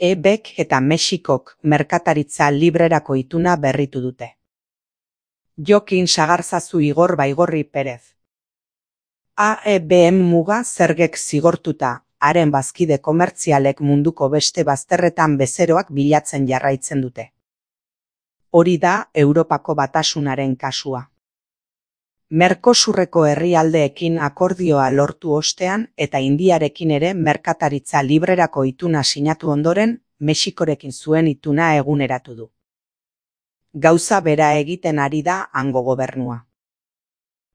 AEBek eta Mexikok merkataritza librerako ituna berritu dute. Jokin Sagarzazu Igor Baigorri Perez. AEBen muga zergek zigortuta, haren bazkide komertzialek munduko beste bazterretan bezeroak bilatzen jarraitzen dute. Hori da Europako Batasunaren kasua. Mercosurreko herrialdeekin akordioa lortu ostean eta Indiarekin ere merkataritza librerako ituna sinatu ondoren, Mexikorekin zuen ituna eguneratu du. Gauza bera egiten ari da hango gobernua.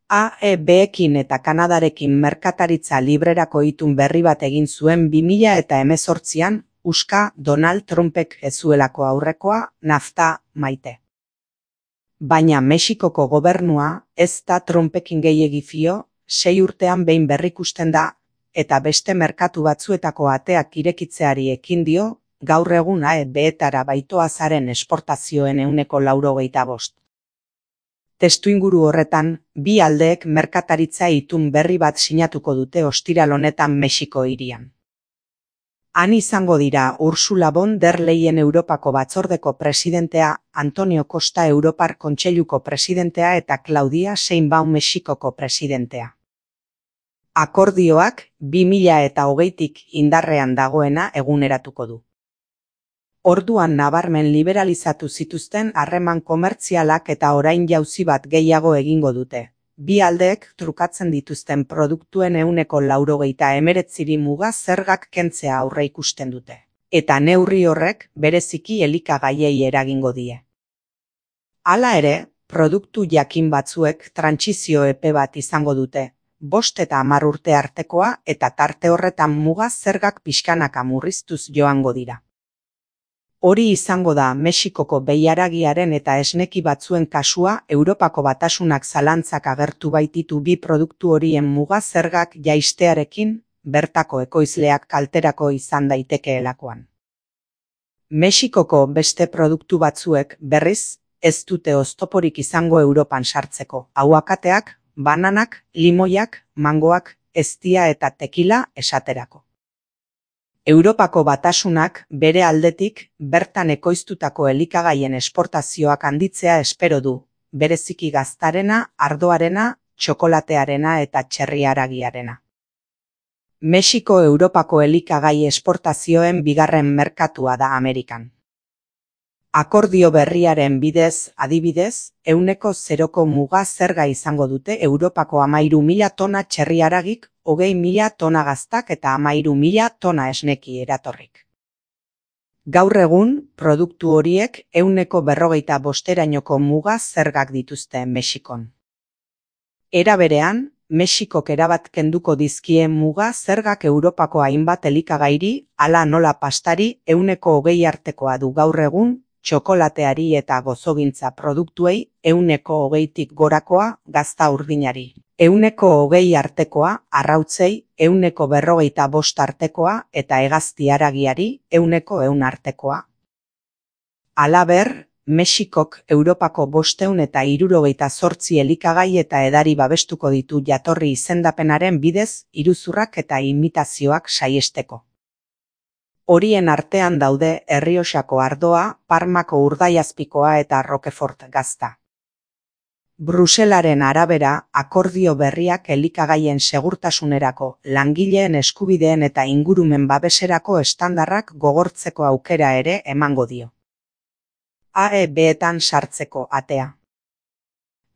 AEBekin eta Kanadarekin merkataritza librerako itun berri bat egin zuen 2018an, uska Donald Trumpek ez zuelako aurrekoa NAFTA maite. Baina Mexikoko gobernua ez da Trumpekin gehiegi fio, 6 urtean behin berrikusten da, eta beste merkatu batzuetako ateak irekitzeari ekin dio, gaur egun AEBetara baitoazaren esportazioen 85%. Testuinguru horretan, bi aldeek merkataritza itun berri bat sinatuko dute ostiral honetan Mexiko hirian. Han izango dira Ursula von der Leyen Europako Batzordeko presidentea, Antonio Costa Europar Kontseiluko presidentea eta Claudia Sheinbaum Mexikoko presidentea. Akordioak 2020tik indarrean dagoena eguneratuko du. Orduan nabarmen liberalizatu zituzten harreman komertzialak eta orain jauzi bat gehiago egingo dute. Bi aldeek trukatzen dituzten produktuen 89% muga zergak kentzea aurreikusten dute. Eta neurri horrek bereziki elikagaiei eragingo die. Hala ere, produktu jakin batzuek trantsizio epe bat izango dute, 5 eta 10 urte artekoa eta tarte horretan muga zergak pixkanaka murriztuz joango dira. Hori izango da Mexikoko behiaragiaren eta esneki batzuen kasua. Europako Batasunak zalantzak agertu baititu bi produktu horien muga zergak jaistearekin, bertako ekoizleak kalterako izan daitekeelakoan. Mexikoko beste produktu batzuek, berriz, ez dute oztoporik izango Europan sartzeko. Aguakateak, bananak, limoiak, mangoak, eztia eta tekila esaterako. Europako Batasunak bere aldetik bertan ekoiztutako elikagaien esportazioak handitzea espero du, bereziki gaztarena, ardoarena, txokolatearena eta txerri-haragiarena. Mexiko Europako elikagai esportazioen bigarren merkatua da Amerikan. Akordio berriaren bidez, adibidez, 0% muga zerga izango dute Europako 13.000 tona txerri-haragik, 20.000 tona gaztak eta 13.000 tona esneki eratorrik. Gaur egun, produktu horiek 45%erainoko muga zergak dituzte Mexikon. Era berean, Mexikok erabat kenduko dizkie muga zergak Europako hainbat elikagairi, hala nola pastari 20% artekoa du gaur egun, txokolateari eta gozogintza produktuei 20%tik gorakoa, gazta urdinari 20% artekoa, arrautzei 45% artekoa eta hegazti haragiari 100% artekoa. Halaber, Mexikok Europako 578 elikagai eta edari babestuko ditu jatorri izendapenaren bidez iruzurrak eta imitazioak saihesteko. Horien artean daude Errioxako ardoa, Parmako urdaiazpikoa eta Roquefort gazta. Bruselaren arabera, akordio berriak elikagaien segurtasunerako, langileen eskubideen eta ingurumen babeserako estandarrak gogortzeko aukera ere emango dio. AEBetan sartzeko atea.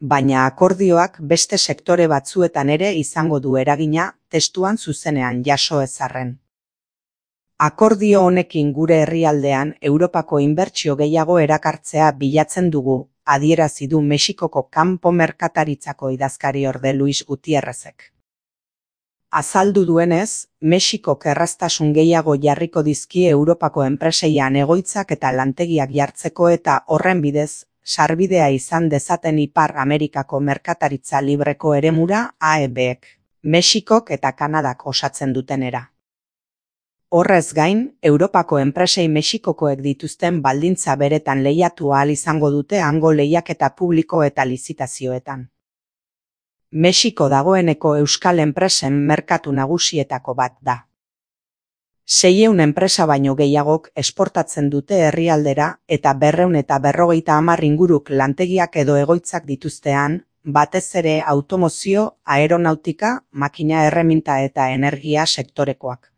Baina akordioak beste sektore batzuetan ere izango du eragina, testuan zuzenean jaso ezarren. Akordio honekin gure herrialdean Europako inbertsio gehiago erakartzea bilatzen dugu, adierazi du Mexikoko kanpo merkataritzako idazkariorde Luis Gutierrezek. Azaldu duenez, Mexikok erraztasun gehiago jarriko dizkie Europako enpreseian egoitzak eta lantegiak jartzeko eta horren bidez, sarbidea izan dezaten Ipar Amerikako merkataritza libreko eremura AEBek, Mexikok eta Kanadak osatzen dutenera. Horrez gain, Europako enpresei Mexikokoek dituzten baldintza beretan lehiatu ahal izango dute hango lehiaketa publiko eta lizitazioetan. Mexiko dagoeneko euskal enpresen merkatu nagusietako bat da. 600 enpresa baino gehiagok esportatzen dute herrialdera eta 250 inguruk lantegiak edo egoitzak dituztean, batez ere automozio, aeronautika, makina erreminta eta energia sektorekoak.